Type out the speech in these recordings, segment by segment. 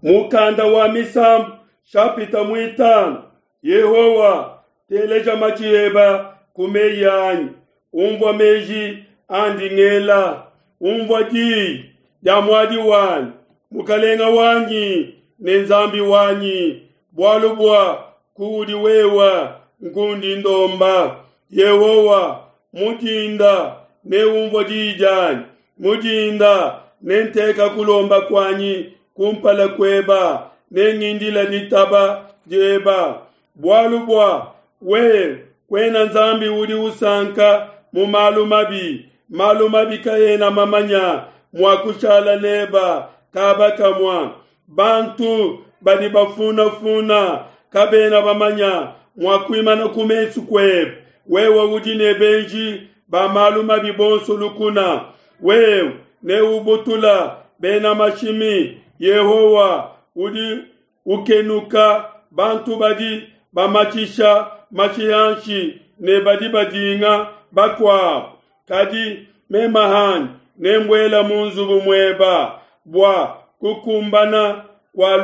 Mukanda wa Misambu shapita muitanu Yehowa, teleja matshi eba ku meyi anyi, umvua meji andi ngela, umvua diyi dia muadi wanyi, Mukalenga wanyi ne Nzambi wanyi, bualu bua kuudi wewa nkundi ndomba. Yehowa, mu dinda neumvue diyi dianyi, mu dinda nenteka kulomba kuanyi kumpala kueba, nengindila ditaba dieba. Bualu bua wewe kuena Nzambi udi usanka mu malu mabi, malu mabi kaena mamanya mua kushala neba kaba kamua. Bantu badi bafunafuna kabena bamanya mua kuimana ku mesu kuebe. Wewe udi ne benji ba malu mabi bonso lukuna. Wewe neubutula bena mashimi. Yehowa udi ukenuka bantu badi bamatshisha mashi anshi ne badi badinga bakuabu. Kadi mema hanyi nembuela mu nzubu mueba bua kukumbana kua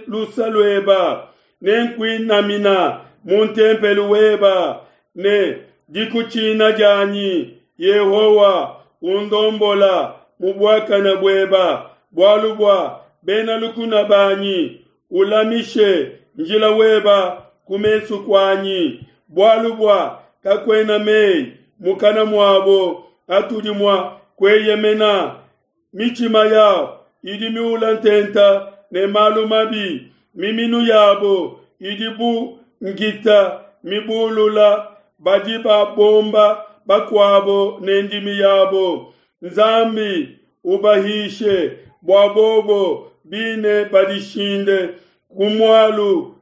lusa lueba, nenkuinamina mu ntempelu weba ne dikutshina dianyi. Yehowa, undombola mu buakane bueba, bualu bua bena lukuna banyi, ulamishe njila weba ku mesu kuanyi, bualu bua kakuena meyi mukana muabo atudi mua kueyemena. Mitshima yabo idi miula ntenta ne malu mabi, miminu yabo idi bu nkita mibulula, badi babomba bakuabo ne ndimi yabo. Nzambi, ubahishe bua bobo bine badishinde ku mualu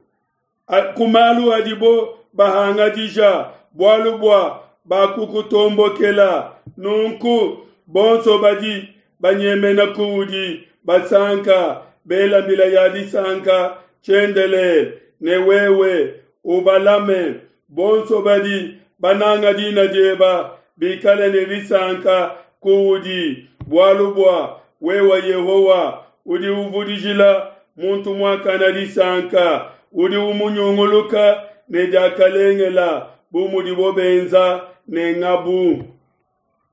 ku malu adibo bahangadija, bualu bua bakukutombokela. Nunku bonso badi banyemena kuudi basanka, bela mbila ya disanka tshiendelele, ne wewe ubalame. Bonso badi bananga dina dieba bikale ne disanka kuudi, bualu bua wewe Yehowa udi uvudijila muntu muakane disanka, udi umunyunguluka ne diakalengela bu mudibo benza ne ngabu.